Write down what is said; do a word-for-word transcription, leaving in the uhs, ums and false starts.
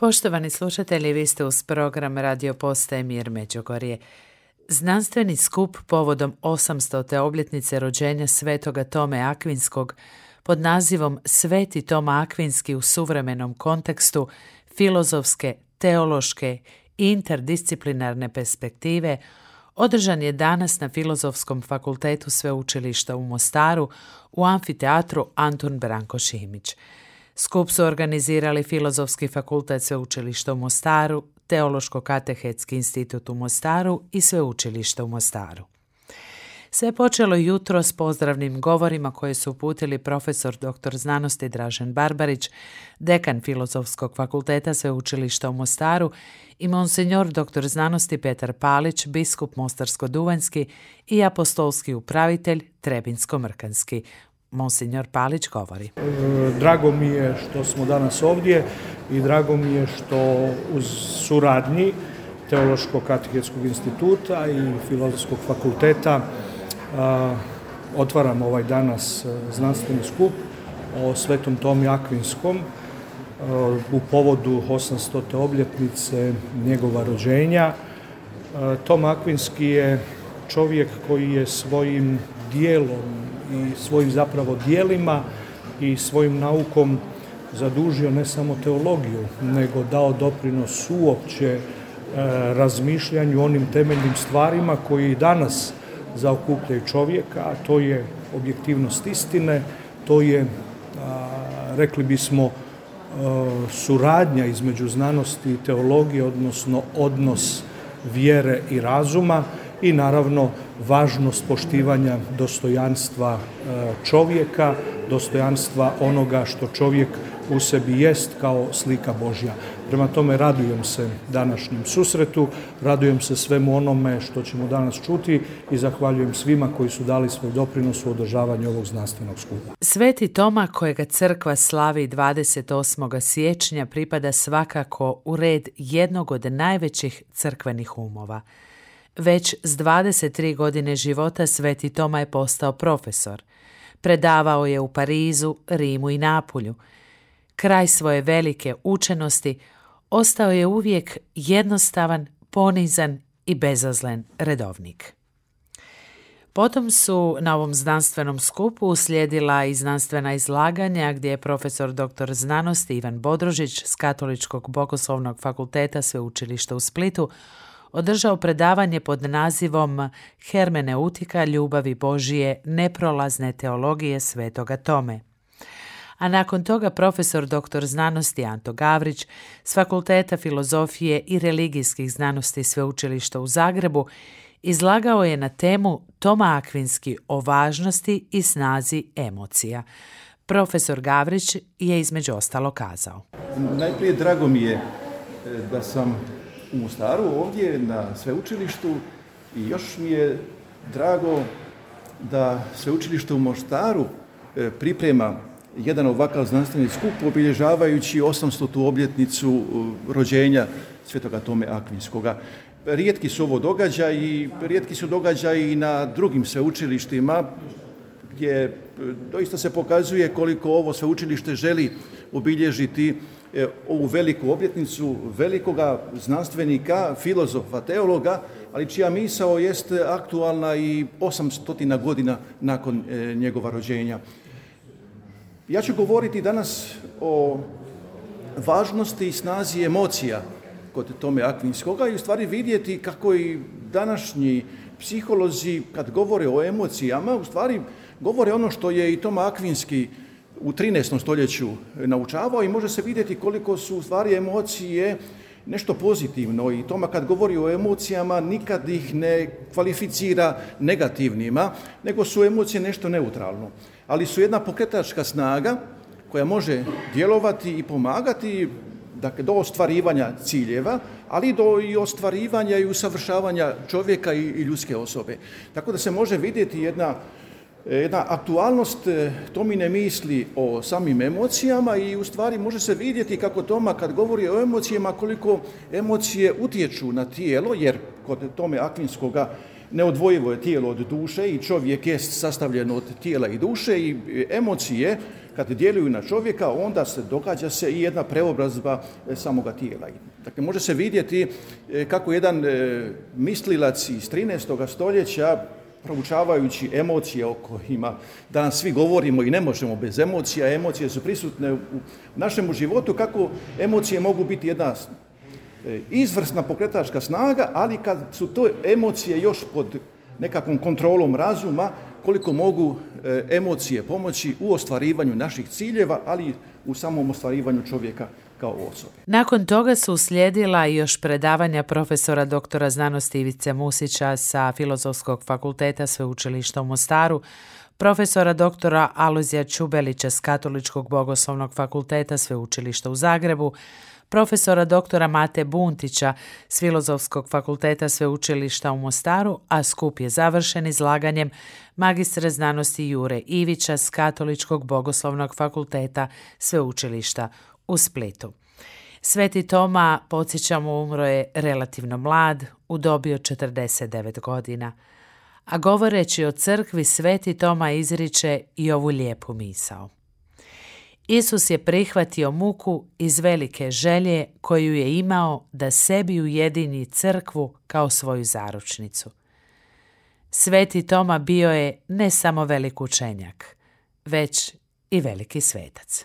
Poštovani slušatelji, vi ste uz program Radio Postaje Mir Međugorje. Znanstveni skup povodom osamstote obljetnice rođenja svetoga Tome Akvinskog pod nazivom Sveti Toma Akvinski u suvremenom kontekstu filozofske, teološke i interdisciplinarne perspektive održan je danas na Filozofskom fakultetu Sveučilišta u Mostaru u amfiteatru Antun Branko Šimić. Skup su organizirali Filozofski fakultet Sveučilišta u Mostaru, Teološko-katehetski institut u Mostaru i Sveučilište u Mostaru. Sve je počelo jutro s pozdravnim govorima koje su uputili profesor doktor znanosti Dražen Barbarić, dekan Filozofskog fakulteta Sveučilišta u Mostaru i monsinjor doktor znanosti Petar Palić, biskup Mostarsko-duvanjski i apostolski upravitelj Trebinsko-mrkanski. Monsinjor Palić govori. Drago mi je što smo danas ovdje i drago mi je što uz suradnji Teološko-katehetskog instituta i Filozofskog fakulteta a, otvaram ovaj danas znanstveni skup o Svetom Tomi Akvinskom a, u povodu osamstote obljetnice njegova rođenja. A, Tom Akvinski je čovjek koji je svojim dijelom i svojim zapravo dijelima i svojim naukom zadužio ne samo teologiju, nego dao doprinos uopće e, razmišljanju onim temeljnim stvarima koji danas zaokupljaju čovjeka, a to je objektivnost istine, to je, a, rekli bismo, a, suradnja između znanosti i teologije, odnosno odnos vjere i razuma i naravno važnost poštivanja dostojanstva čovjeka, dostojanstva onoga što čovjek u sebi jest kao slika Božja. Prema tome radujem se današnjem susretu, radujem se svemu onome što ćemo danas čuti i zahvaljujem svima koji su dali svoj doprinos u održavanju ovog znanstvenog skupa. Sveti Toma, kojega crkva slavi dvadeset osmog siječnja, pripada svakako u red jednog od najvećih crkvenih umova. Već s dvadeset tri godine života Sveti Toma je postao profesor. Predavao je u Parizu, Rimu i Napulju. Kraj svoje velike učenosti ostao je uvijek jednostavan, ponizan i bezazlen redovnik. Potom su na ovom znanstvenom skupu uslijedila i znanstvena izlaganja gdje je profesor doktor znanosti Ivan Bodrožić s Katoličkog bogoslovnog fakulteta Sveučilišta u Splitu održao predavanje pod nazivom Hermeneutika ljubavi Božije neprolazne teologije Svetoga Tome. A nakon toga profesor doktor znanosti Anto Gavrić s Fakulteta filozofije i religijskih znanosti Sveučilišta u Zagrebu izlagao je na temu Toma Akvinski o važnosti i snazi emocija. Profesor Gavrić je između ostalo kazao. Najprije drago mi je da sam u Mostaru ovdje na sveučilištu i još mi je drago da sveučilište u Mostaru priprema jedan ovakav znanstveni skup obilježavajući osamstotu obljetnicu rođenja svetoga Tome Akvinskoga. Rijetki su ovo događaji, rijetki su događaji i na drugim sveučilištima gdje doista se pokazuje koliko ovo sveučilište želi obilježiti ovu veliku obljetnicu velikoga znanstvenika, filozofa, teologa, ali čija misao jest aktualna i osamstotina godina nakon njegova rođenja. Ja ću govoriti danas o važnosti i snazi emocija kod Tome Akvinskoga i u stvari vidjeti kako i današnji psiholozi kad govore o emocijama u stvari govore ono što je i Toma Akvinski u trinaestom stoljeću naučavao i može se vidjeti koliko su u stvari emocije nešto pozitivno i Toma kad govori o emocijama nikad ih ne kvalificira negativnima, nego su emocije nešto neutralno. Ali su jedna pokretačka snaga koja može djelovati i pomagati dakle, do ostvarivanja ciljeva, ali do i ostvarivanja i usavršavanja čovjeka i, i ljudske osobe. Tako da se može vidjeti jedna jedna aktualnost Tomine misli o samim emocijama i u stvari može se vidjeti kako Toma kad govori o emocijama koliko emocije utječu na tijelo, jer kod Tome Akvinskoga neodvojivo je tijelo od duše i čovjek je sastavljen od tijela i duše i emocije kad djeluju na čovjeka, onda se događa se i jedna preobrazba samoga tijela. Dakle, može se vidjeti kako jedan mislilac iz trinaestog stoljeća, proučavajući emocije o kojima danas svi govorimo i ne možemo bez emocija, emocije su prisutne u našem životu, kako emocije mogu biti jedna izvrsna pokretačka snaga, ali kad su to emocije još pod nekakvom kontrolom razuma, koliko mogu emocije pomoći u ostvarivanju naših ciljeva, ali u samom ostvarivanju čovjeka kao osobe. Nakon toga su uslijedila još predavanja profesora doktora znanosti Ivice Musića sa Filozofskog fakulteta Sveučilišta u Mostaru, profesora doktora Alojzija Čubelića s Katoličkog bogoslovnog fakulteta Sveučilišta u Zagrebu, profesora doktora Mate Buntića s Filozofskog fakulteta Sveučilišta u Mostaru, a skup je završen izlaganjem magistra znanosti Jure Ivića s Katoličkog bogoslovnog fakulteta Sveučilišta u Splitu. Sveti Toma, podsjećamo, umro je relativno mlad, u dobi od četrdeset devet godina. A govoreći o crkvi, Sveti Toma izriče i ovu lijepu misao. Isus je prihvatio muku iz velike želje koju je imao da sebi ujedini crkvu kao svoju zaručnicu. Sveti Toma bio je ne samo velik učenjak, već i veliki svetac.